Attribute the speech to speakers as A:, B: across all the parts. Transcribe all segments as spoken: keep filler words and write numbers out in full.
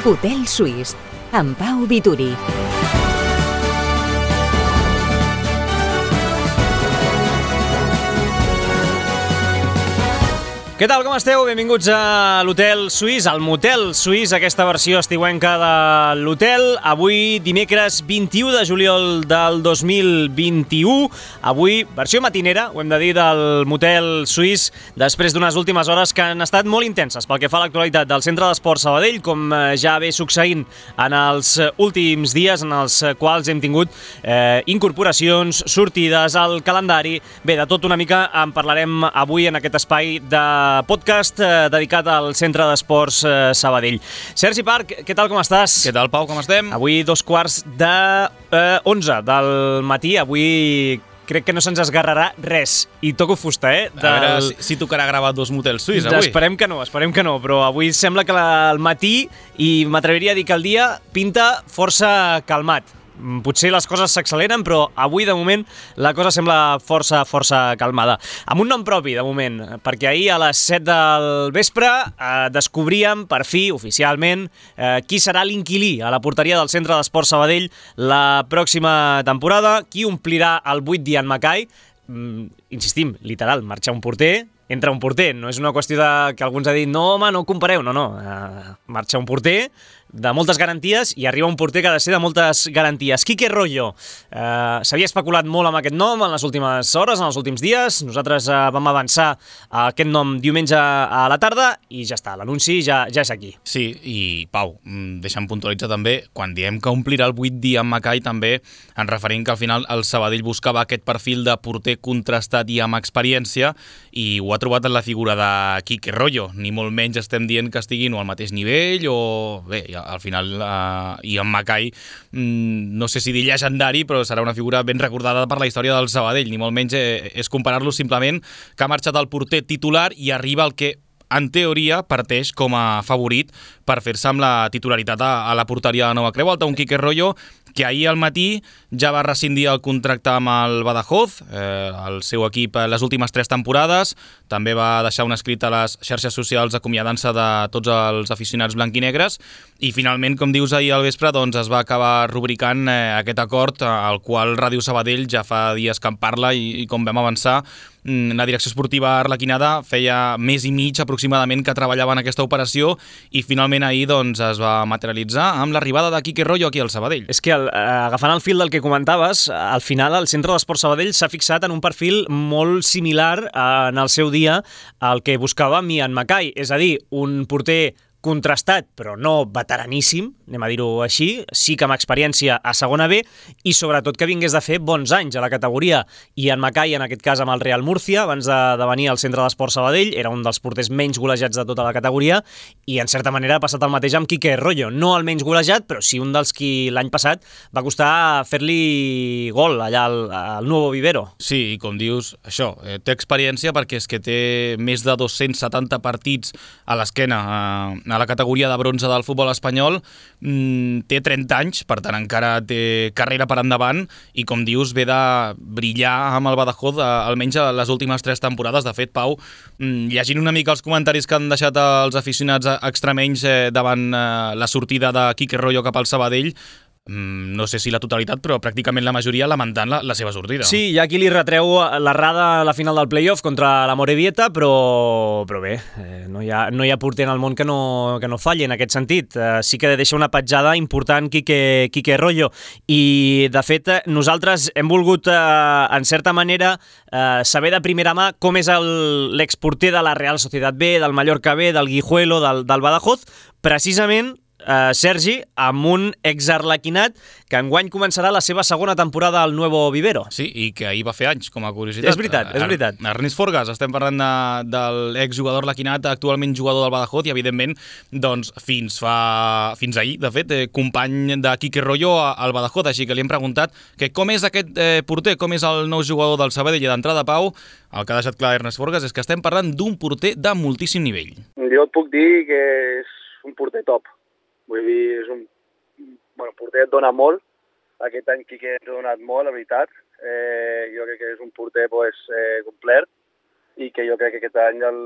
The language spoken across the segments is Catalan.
A: Hotel Suís, amb Pau Vituri.
B: Què tal, com esteu? Benvinguts a l'Hotel Suís, al Motel Suís, aquesta versió estiuenca de l'hotel. Avui, dimecres vint-i-u de juliol del dos mil vint-i-u. Avui, versió matinera, ho hem de dir, del Motel Suís, després d'unes últimes hores que han estat molt intenses pel que fa a l'actualitat del Centre d'Esports Sabadell, com ja ve succeint en els últims dies, en els quals hem tingut eh, incorporacions, sortides, al calendari. Bé, de tot una mica en parlarem avui en aquest espai de podcast eh, dedicat al Centre d'Esports eh, Sabadell. Sergi Parc, què tal, com estàs?
C: Què tal, Pau, com estem?
B: Avui dos quarts de eh, onze del matí, avui crec que no se'ns esgarrarà res, i toco fusta, eh? Del...
C: A veure si, si tocarà gravar dos motels suís avui.
B: Esperem que no, esperem que no, però avui sembla que la, el matí, i m'atreviria a dir que el dia pinta força calmat. Potser les coses s'acceleren, però avui, de moment, la cosa sembla força, força calmada. Amb un nom propi, de moment, perquè ahir a les set del vespre eh, descobríem, per fi, oficialment, eh, qui serà l'inquilí a la porteria del Centre d'Esports Sabadell la pròxima temporada, qui omplirà el buit d'Ian Mackay. Mm, insistim, literal, marxa un porter, entra un porter. No és una qüestió de que alguns ha dit no, home, no ho compareu, no, no. Eh, marxa un porter de moltes garanties i arriba un porter que ha de ser de moltes garanties. Quique Royo. Eh, S'havia especulat molt amb aquest nom en les últimes hores, en els últims dies. Nosaltres eh, vam avançar a aquest nom diumenge a la tarda i ja està, l'anunci ja, ja és aquí.
C: Sí, i Pau, deixa'm puntualitzar també, quan diem que omplirà el buit d'Ian Mackay, també ens referim que al final el Sabadell buscava aquest perfil de porter contrastat i amb experiència, i ho ha trobat en la figura de Quique Royo. Ni molt menys estem dient que estiguin o al mateix nivell o... Bé, al final uh, Ian Mackay, mm, no sé si dir llegendari, però serà una figura ben recordada per la història del Sabadell. Ni molt menys eh, és comparar-lo simplement que ha marxat el porter titular i arriba el que en teoria parteix com a favorit per fer-se amb la titularitat a, a la porteria de Nova Creu Alta, un Quique Royo que ahir al matí ja va rescindir el contracte amb el Badajoz, eh, el seu equip les últimes tres temporades. També va deixar un escrit a les xarxes socials acomiadant-se de tots els aficionats blanquinegres, i finalment, com dius, ahir al vespre doncs, es va acabar rubricant eh, aquest acord, al qual Ràdio Sabadell ja fa dies que en parla, i, i com vam avançar, la direcció esportiva arlequinada feia mes i mig aproximadament que treballava en aquesta operació, i finalment ahir doncs, es va materialitzar amb l'arribada de Quique Royo aquí al Sabadell.
B: És que el, agafant el fil del que comentaves, al final el Centre d'Esports Sabadell s'ha fixat en un perfil molt similar en el seu dia al que buscava Ian Mackay, és a dir, un porter contrastat, però no veteraníssim, anem a dir-ho així, sí que amb experiència a segona B, i sobretot que vingués de fer bons anys a la categoria. Ian Mackay, en aquest cas amb el Real Murcia, abans de, de venir al Centre d'Esports Sabadell, era un dels porters menys golejats de tota la categoria, i en certa manera ha passat el mateix amb Quique Royo. No el menys golejat, però sí un dels qui l'any passat va costar fer-li gol allà al, al Nuevo Vivero.
C: Sí, i com dius, això, eh, té experiència perquè és que té més de dos-cents setanta partits a l'esquena eh, a la categoria de bronze del futbol espanyol, mm, té trenta anys, per tant encara té carrera per endavant, i com dius, ve de brillar amb el Badajoz, eh, almenys a les últimes tres temporades. De fet, Pau, mm, llegint una mica els comentaris que han deixat els aficionats extremenys eh, davant eh, la sortida de Quique Royo cap al Sabadell, no sé si la totalitat, però pràcticament la majoria lamentant la, la seva sortida.
B: Sí, hi ha qui li retreu l'errada a la final del playoff contra la Morevieta, però, però bé, eh, no, hi ha, no hi ha porter en el món que no, que no falli en aquest sentit. Eh, sí que deixa una petjada important Quique, Quique Royo, i de fet nosaltres hem volgut, eh, en certa manera, eh, saber de primera mà com és l'exporter de la Real Sociedad B, del Mallorca B, del Guijuelo, del, del Badajoz, precisament Uh, Sergi, amb un exarlequinat que enguany començarà la seva segona temporada al Nuevo Vivero.
C: Sí, i que ahir va fer anys, com a curiositat.
B: És veritat, és veritat.
C: Ernest Forgas, estem parlant de, del exjugador lequinat, actualment jugador del Badajoz, i evidentment, doncs, fins fa fins ahir, de fet, eh, company de Quique Royo al Badajoz, així que li hem preguntat que com és aquest eh, porter, com és el nou jugador del Sabadell, i d'entrada, Pau, el que ha deixat clar Ernest Forgas és que estem parlant d'un porter de moltíssim nivell.
D: Jo et puc dir que és un porter top. Vull dir, és un bueno, porter et dona molt. Aquest any Quique ens ha donat molt, la veritat. Eh, jo crec que és un porter pues, eh, complet, i que jo crec que aquest any el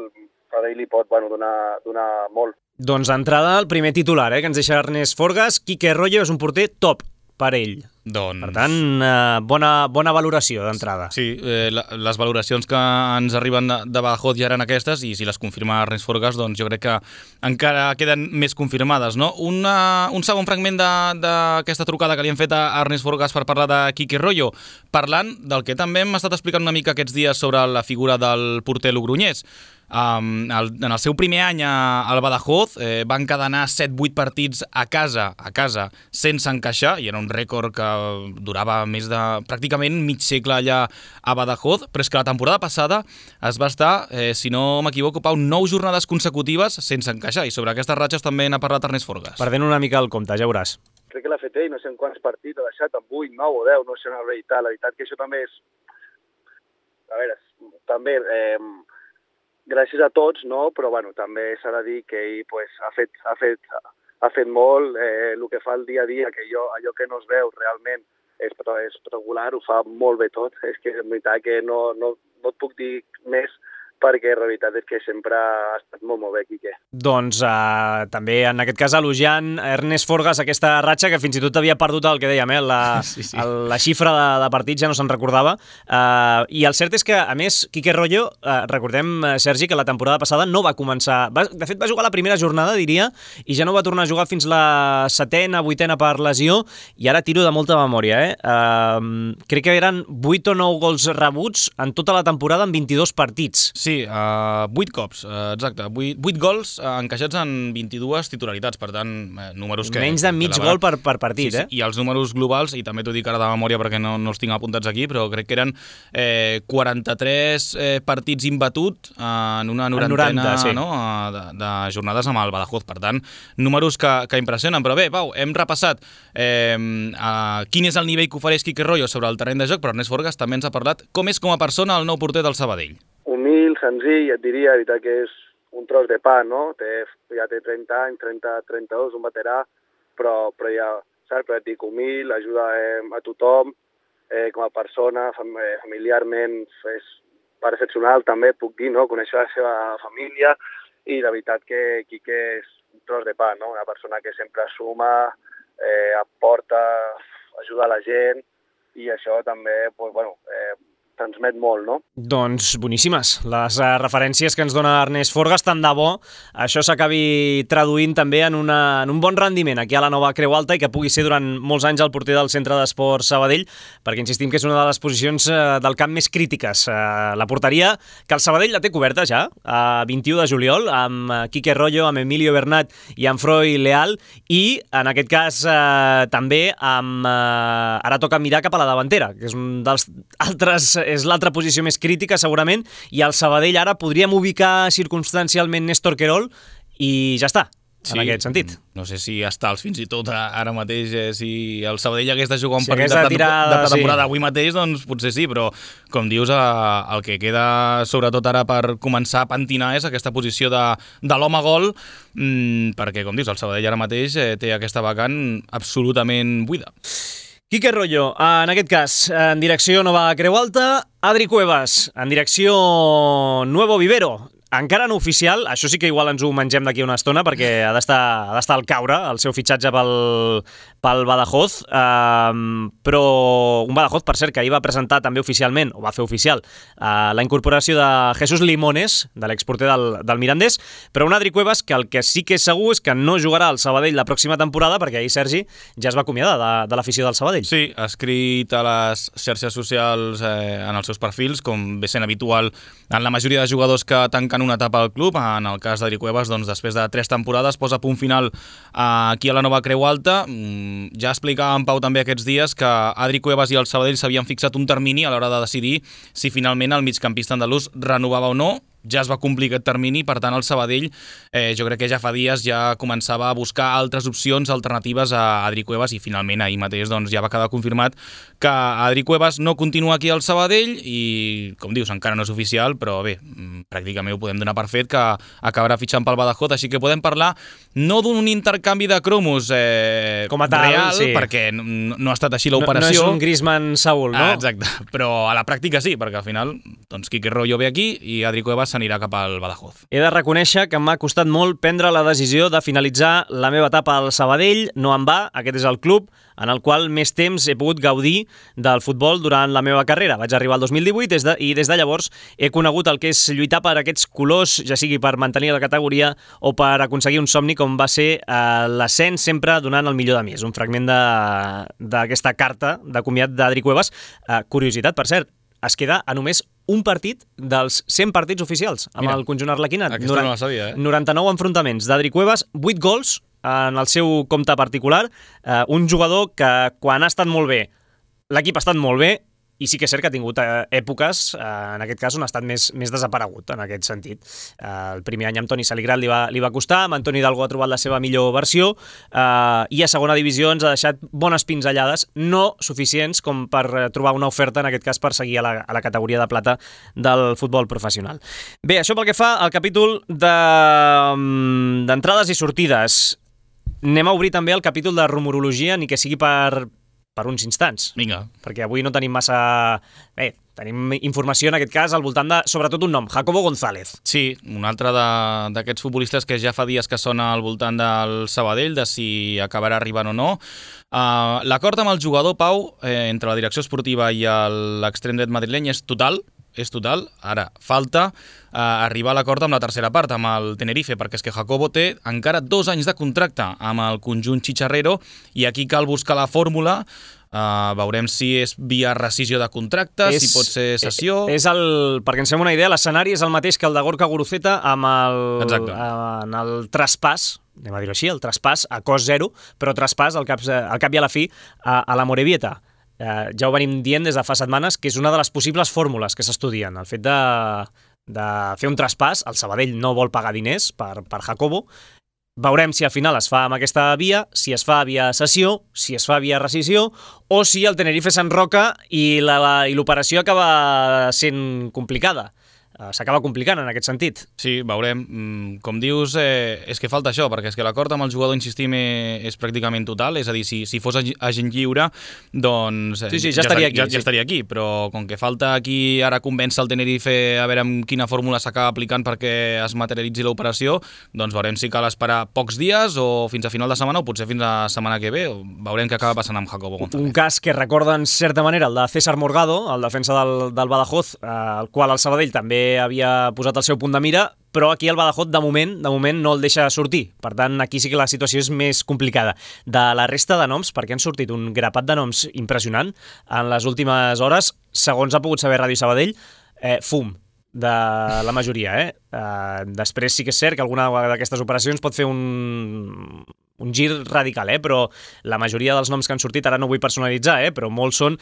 D: Sabadell li pot bueno, donar, donar molt.
B: Doncs d'entrada, el primer titular eh, que ens deixa Ernest Forgas, Quique Royo és un porter top per ell.
C: Doncs...
B: Per tant, eh, bona, bona valoració d'entrada.
C: Sí, eh, la, les valoracions que ens arriben de, de Badajoz ja eren aquestes i si les confirma Ernest Forgas, doncs jo crec que encara queden més confirmades, no? Una, un segon fragment d'aquesta trucada que li hem fet a Ernest Forgas per parlar de Quique Royo, parlant del que també hem estat explicant una mica aquests dies sobre la figura del porter logroñès. Um, el, en el seu primer any a, al Badajoz eh, van encadenar set vuit partits a casa a casa sense encaixar i era un rècord que durava més de pràcticament mig segle allà a Badajoz, però és que la temporada passada es va estar, eh, si no m'equivoco, Pau, nou jornades consecutives sense encaixar i sobre aquestes ratxes també n'ha parlat Ernest Forgas.
B: Perdent una mica el compte, ja veuràs.
D: Crec que l'ha fet ell, no sé en quants partits ha deixat, en vuit, nou o deu, no sé una veritat. La veritat que això també és... A veure, també... Eh, gràcies a tots, no? Però bueno, també s'ha de dir que ell pues, ha, fet, ha, fet, ha fet molt, eh, el que fa el dia a dia, que jo, allò que no es veu realment és, és regular, ho fa molt bé tot. És que en veritat que no, no, no et puc dir més perquè la veritat és que sempre ha estat molt, molt bé, Quique.
B: Doncs eh, també en aquest cas elogiant Ernest Forgas aquesta ratxa que fins i tot havia perdut el que dèiem, eh? la, sí, sí. El, la xifra de, de partits ja no se'n recordava. Eh, I el cert és que, a més, Quique Royo, eh, recordem, Sergi, que la temporada passada no va començar... Va, de fet, va jugar la primera jornada, diria, i ja no va tornar a jugar fins la setena, vuitena per lesió, i ara tiro de molta memòria. Eh? Eh, crec que eren vuit o nou gols rebuts en tota la temporada en vint-i-dos partits.
C: Sí, uh, vuit cops, uh, exacte. vuit gols uh, encaixats en vint-i-dues titularitats, per tant, uh, números que...
B: Menys de mig
C: que
B: gol per, per partit,
C: sí,
B: eh?
C: Sí, i els números globals, i també t'ho dic ara de memòria perquè no, no els tinc apuntats aquí, però crec que eren eh, quaranta-tres eh, partits imbatut en una norantena
B: noranta, sí.
C: no? de, de jornades amb el Badajoz. Per tant, números que, que impressionen. Però bé, Pau, hem repassat eh, uh, quin és el nivell que ofereix Quique Royo sobre el terreny de joc, però Ernest Forgas també ens ha parlat com és com a persona el nou porter del Sabadell.
D: Humil, senzill, et diria, veritat que és un tros de pa, no? Té, ja té trenta anys, trenta, trenta-dos, un veterà, però, però ja, saps? Però et dic, humil, ajuda eh, a tothom, eh, com a persona, fam familiarment, és excepcional també, puc dir, no? Conèixer la seva família, i la veritat que Quique és un tros de pa, no? Una persona que sempre suma, eh, aporta, ajuda a la gent, i això també, pues, bueno, eh, transmet molt, no?
B: Doncs boníssimes les uh, referències que ens dona Ernest Forgas, tant de bo això s'acabi traduint també en, una, en un bon rendiment aquí a la nova Creu Alta i que pugui ser durant molts anys el porter del Centre d'Esports Sabadell, perquè insistim que és una de les posicions uh, del camp més crítiques. Uh, la porteria, que el Sabadell la té coberta ja, a uh, vint-i-u de juliol, amb uh, Quique Royo, amb Emilio Bernat i amb Froi Leal, i en aquest cas uh, també amb... Uh, ara toca mirar cap a la davantera, que és un dels altres... és l'altra posició més crítica, segurament, i al Sabadell ara podríem ubicar circumstancialment Néstor Querol i ja està, en sí, aquest sentit.
C: No sé si està als fins i tot ara mateix, eh, si el Sabadell hagués de jugar un
B: si
C: partit de,
B: tirar,
C: de pretemporada
B: sí.
C: avui mateix, doncs potser sí, però com dius, eh, el que queda sobretot ara per començar a pentinar és aquesta posició de, de l'home gol, mmm, perquè, com dius, el Sabadell ara mateix eh, té aquesta vacant absolutament buida.
B: Quique Royo, en aquest cas, en direcció Nova Creu Alta, Adri Cuevas, en direcció Nuevo Vivero. Encara no oficial, això sí que igual ens ho mengem d'aquí una estona perquè ha d'estar ha d'estar al caure el seu fitxatge pel, pel Badajoz, um, però un Badajoz, per cert, que ahir va presentar també oficialment, o va fer oficial, uh, la incorporació de Jesús Limones, de l'exporter del, del Mirandés, però un Adri Cuevas que el que sí que és segur és que no jugarà al Sabadell la pròxima temporada perquè ahir Sergi ja es va acomiadar de, de l'afició del Sabadell.
C: Sí, ha escrit a les xarxes socials eh, en els seus perfils, com ve sent habitual en la majoria de jugadors que tanquen una etapa al club. En el cas d'Adri Cuevas, doncs, després de tres temporades, posa punt final aquí a la nova Creu Alta. Ja explicava en Pau també aquests dies que Adri Cuevas i el Sabadell s'havien fixat un termini a l'hora de decidir si finalment el migcampista andalús renovava o no. Ja es va complir aquest termini, per tant el Sabadell eh, jo crec que ja fa dies ja començava a buscar altres opcions alternatives a Adri Cuevas i finalment ahir mateix doncs, ja va quedar confirmat que Adri Cuevas no continua aquí al Sabadell i, com dius, encara no és oficial, però bé, pràcticament ho podem donar per fet que acabarà fitxant pel Badajoz, així que podem parlar no d'un intercanvi de cromos eh,
B: com a tal,
C: real,
B: sí.
C: perquè no, no ha estat així l'operació.
B: No, no és un Griezmann Saúl, no?
C: Ah, exacte, però a la pràctica sí, perquè al final doncs, Quique Royo ve aquí i Adri Cuevas s'anirà cap al Badajoz.
B: He de reconèixer que m'ha costat molt prendre la decisió de finalitzar la meva etapa al Sabadell. No em va, aquest és el club en el qual més temps he pogut gaudir del futbol durant la meva carrera. Vaig arribar al dos mil divuit des de, i des de llavors he conegut el que és lluitar per aquests colors, ja sigui per mantenir la categoria o per aconseguir un somni com va ser eh, l'ascens sempre donant el millor de mi. És un fragment d'aquesta carta de comiat d'Adri Cuevas. Eh, curiositat, per cert, es queda a només un partit dels cent partits oficials amb
C: Mira,
B: el conjunt arlequinat.
C: aquesta Norant, no la sabia, eh?
B: noranta-nou enfrontaments d'Adri Cuevas, vuit gols en el seu compte particular, eh, un jugador que quan ha estat molt bé, l'equip ha estat molt bé, i sí que és cert que ha tingut eh, èpoques, eh, en aquest cas, on ha estat més, més desaparegut, en aquest sentit. Eh, el primer any amb Toni Saligrat li va, li va costar, amb Antoni Hidalgo ha trobat la seva millor versió, eh, i a segona divisió ens ha deixat bones pinzellades, no suficients com per trobar una oferta, en aquest cas, per seguir a la, a la categoria de plata del futbol professional. Bé, això pel que fa al capítol d'entrades de, i sortides. Anem a obrir també el capítol de rumorologia, ni que sigui per, per uns instants.
C: Vinga.
B: Perquè avui no tenim massa... Bé, tenim informació en aquest cas al voltant de, sobretot, un nom, Jacobo González.
C: Sí, un altre d'aquests futbolistes que ja fa dies que sona al voltant del Sabadell, de si acabarà arribant o no. Uh, L'acord amb el jugador, Pau, eh, entre la direcció esportiva i l'extrem dret madrileny és total, és total. Ara, falta eh, arribar a l'acord amb la tercera part, amb el Tenerife, perquè és que Jacobo té encara dos anys de contracte amb el conjunt xicharrero i aquí cal buscar la fórmula. Uh, veurem si és via rescisió de contractes, és, si pot ser cessió...
B: És el, perquè ens fem una idea, l'escenari és el mateix que el de Gorka Guruceta amb el,
C: Exacte.
B: en el traspàs, anem a dir-ho així, el traspàs a cost zero, però traspàs al cap, al cap i a la fi a, a la Morevieta. Uh, ja ho venim dient des de fa setmanes, que és una de les possibles fórmules que s'estudien. El fet de, de fer un traspàs, el Sabadell no vol pagar diners per, per Jacobo. Veurem si al final es fa amb aquesta via, si es fa via cessió, si es fa via rescisió, o si el Tenerife s'enroca i l'operació acaba sent complicada. S'acaba complicant en aquest sentit.
C: Sí, veurem. Com dius, eh, és que falta això, perquè és que l'acord amb el jugador, insistim, és pràcticament total, és a dir, si, si fos agent lliure, doncs
B: sí, sí, ja, ja, estaria aquí,
C: ja, ja
B: sí.
C: estaria aquí, però com que falta aquí ara convèncer el Tenerife a veure amb quina fórmula s'acaba aplicant perquè es materialitzi l'operació, doncs veurem si cal esperar pocs dies o fins a final de setmana o potser fins a la setmana que ve, veurem què acaba passant amb Jacobo González.
B: Un cas que recorda en certa manera el de César Morgado, el defensa del, del Badajoz, eh, el qual el Sabadell també havia posat el seu punt de mira, però aquí el Badajoz de moment de moment no el deixa sortir. Per tant, aquí sí que la situació és més complicada. De la resta de noms, perquè han sortit un grapat de noms impressionant en les últimes hores, segons ha pogut saber Ràdio Sabadell, eh, fum de la majoria. Eh? Eh, després sí que és cert que alguna d'aquestes operacions pot fer un, un gir radical, eh? Però la majoria dels noms que han sortit, ara no vull personalitzar, eh? Però molts són,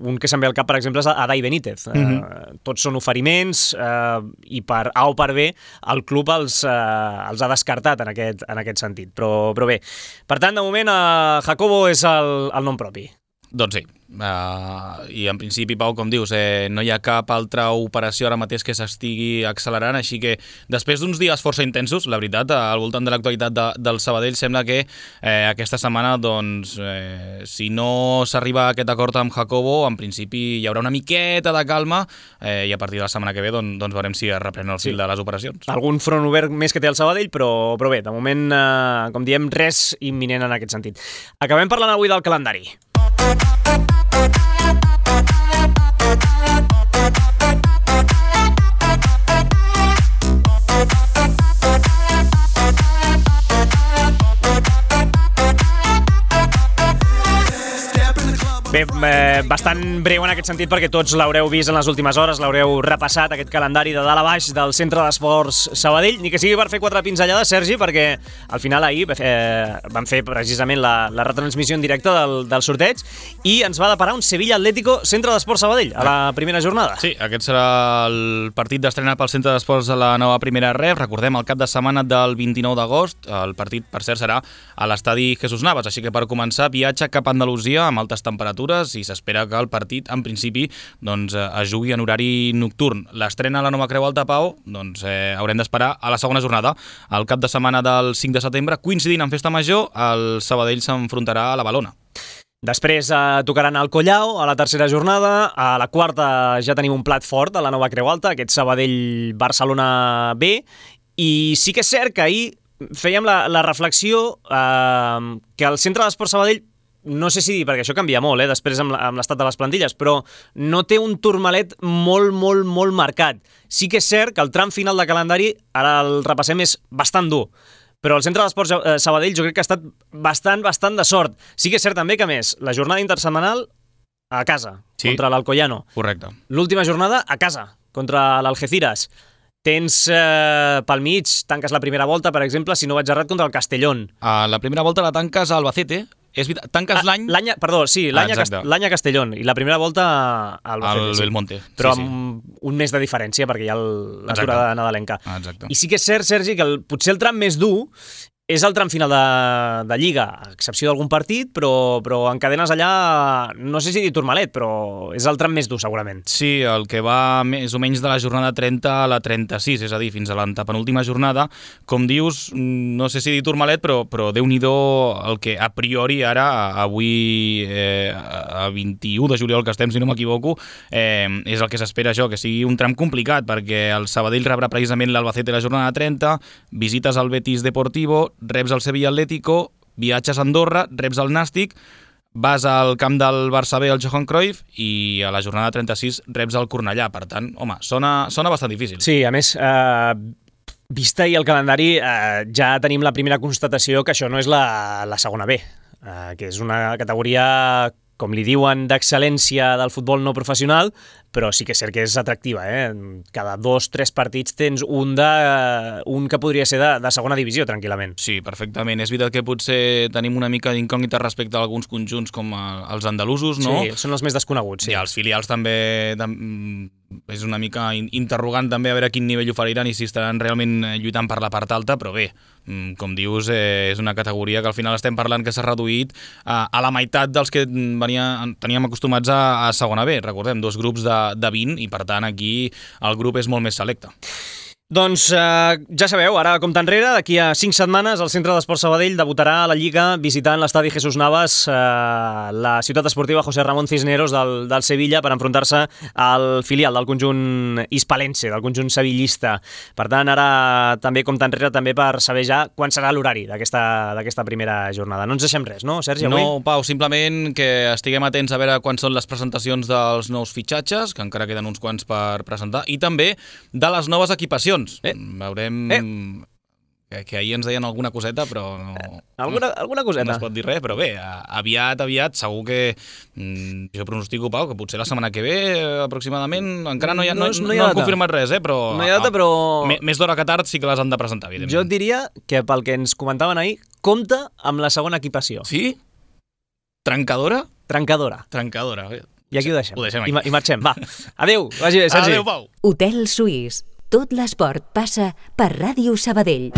B: un que se'm ve al cap, per exemple, és Adai Benítez. Mm-hmm. eh, tots són oferiments eh, i per A o per B el club els, eh, els ha descartat en aquest, en aquest sentit. Però, però bé, per tant, de moment, eh, Jacobo és el, el nom propi.
C: Doncs sí, uh, i en principi, Pau, com dius, eh, no hi ha cap altra operació ara mateix que s'estigui accelerant, així que després d'uns dies força intensos, la veritat, al voltant de l'actualitat de, del Sabadell, sembla que eh, aquesta setmana, doncs, eh, si no s'arriba a aquest acord amb Jacobo, en principi hi haurà una miqueta de calma eh, i a partir de la setmana que ve doncs, doncs veurem si es reprèn el fil sí. de les operacions.
B: Algun front obert més que té el Sabadell, però, però bé, de moment, eh, com diem, res imminent en aquest sentit. Acabem parlant avui del calendari. Bé, eh, bastant breu en aquest sentit perquè tots l'haureu vist en les últimes hores, l'haureu repassat, aquest calendari de dalt a baix del Centre d'Esports Sabadell, ni que sigui per fer quatre pinzellades, Sergi, perquè al final ahir eh, vam fer precisament la, la retransmissió en directe del, del sorteig i ens va deparar un Sevilla Atlético Centre d'Esports Sabadell a la primera jornada.
C: Sí, aquest serà el partit d'estrena pel Centre d'Esports a la nova primera ref. Recordem, el cap de setmana del vint-i-nou d'agost, el partit, per cert, serà a l'estadi Jesús Navas, així que per començar, viatge cap a Andalusia amb altes temperatures i s'espera que el partit, en principi, doncs, es jugui en horari nocturn. L'estrena a la Nova Creu Alta, Pau, doncs eh, haurem d'esperar a la segona jornada. El cap de setmana del cinc de setembre, coincidint amb Festa Major, el Sabadell s'enfrontarà a la Balona.
B: Després eh, tocaran al Collao a la tercera jornada, a la quarta ja tenim un plat fort a la nova Creu Alta, aquest Sabadell-Barcelona B, i sí que és cert que ahir fèiem la, la reflexió eh, que el centre de l'Esport Sabadell, no sé si dir, perquè això canvia molt, eh, després amb l'estat de les plantilles, però no té un turmalet molt, molt, molt marcat. Sí que és cert que el tram final de calendari, ara el repassem, és bastant dur, però el centre de l'Esport Sabadell jo crec que ha estat bastant, bastant de sort. Sí que és cert també que, més, la jornada intersetmanal a casa, sí, contra l'Alcoyano.
C: Correcte.
B: L'última jornada a casa, contra l'Algeciras. Tens eh, pel mig, tanques la primera volta, per exemple, si no vaig errat, contra el Castellón.
C: Uh, la primera volta la tanques a Albacete. És veritat, tanques l'any...
B: Ah, l'any... Perdó, sí, l'any
C: ah,
B: a Castellón. I la primera volta a Albacete.
C: Al Belmonte.
B: Sí. Però
C: sí,
B: amb sí. un mes de diferència, perquè hi ha l'aturada nadalenca.
C: Ah, exacte.
B: I sí que és cert, Sergi, que el, potser el tram més dur és el tram final de, de Lliga, a excepció d'algun partit, però, però encadenes allà, no sé si dir turmalet, però és el tram més dur, segurament.
C: Sí, el que va més o menys de la jornada trenta a la trenta-sis, és a dir, fins a l'antepenúltima jornada. Com dius, no sé si dir turmalet, però, però Déu-n'hi-do el que a priori ara, avui, eh, a vint-i-u de juliol que estem, si no m'equivoco, eh, és el que s'espera això, que sigui un tram complicat, perquè el Sabadell rebrà precisament l'Albacete la jornada trenta, visites al Betis Deportivo, reps el Sevilla Atlético, viatges a Andorra, reps el Nàstic, vas al camp del Barça B, al Johan Cruyff, i a la jornada trenta-sis reps el Cornellà. Per tant, home, sona, sona bastant difícil.
B: Sí, a més, eh, vista i el calendari, eh, ja tenim la primera constatació que això no és la, la segona B, eh, que és una categoria, com li diuen, d'excel·lència del futbol no professional, però sí que és cert que és atractiva, eh? Cada dos, tres partits tens un, de, un que podria ser de, de segona divisió, tranquil·lament.
C: Sí, perfectament. És veritat que potser tenim una mica d'incògnita respecte a alguns conjunts com els andalusos, no?
B: Sí, són els més desconeguts, sí.
C: I els filials també, és una mica interrogant també a veure a quin nivell oferiran i si estaran realment lluitant per la part alta, però bé, com dius, és una categoria que al final estem parlant que s'ha reduït a, a la meitat dels que venia, teníem acostumats a, a segona B. Recordem, dos grups de de vint, i per tant aquí el grup és molt més selecte.
B: Doncs eh, ja sabeu, ara compte enrere, d'aquí a cinc setmanes el Centre d'Esport Sabadell debutarà a la Lliga visitant l'estadi Jesús Navas, eh, la ciutat esportiva José Ramón Cisneros del, del Sevilla, per enfrontar-se al filial del conjunt hispalense, del conjunt sevillista. Per tant, ara també compte enrere també per saber ja quan serà l'horari d'aquesta primera jornada. No ens deixem res, no, Sergi, avui?
C: No, Pau, simplement que estiguem atents a veure quan són les presentacions dels nous fitxatges, que encara queden uns quants per presentar, i també de les noves equipacions. Eh. Veurem eh. Que, que ahir ens deien alguna coseta, però no,
B: alguna, alguna coseta.
C: No es pot dir res, però bé, aviat, aviat, segur que mm, jo pronostico, Pau, que potser la setmana que ve, aproximadament, encara no, hi ha, no, no, no, no han confirmat res, eh, però,
B: no hi ha data, però...
C: A, més d'hora que tard sí que les han de presentar, evidentment.
B: Jo et diria que pel que ens comentaven ahir, compta amb la segona equipació.
C: Sí? Trencadora?
B: Trencadora.
C: Trencadora.
B: I aquí ho deixem.
C: Ho deixem aquí.
B: I, i marxem, va. Adéu, vagi bé, Sergi.
C: Adéu, Pau.
A: Hotel Suís. Tot l'esport passa per Ràdio Sabadell.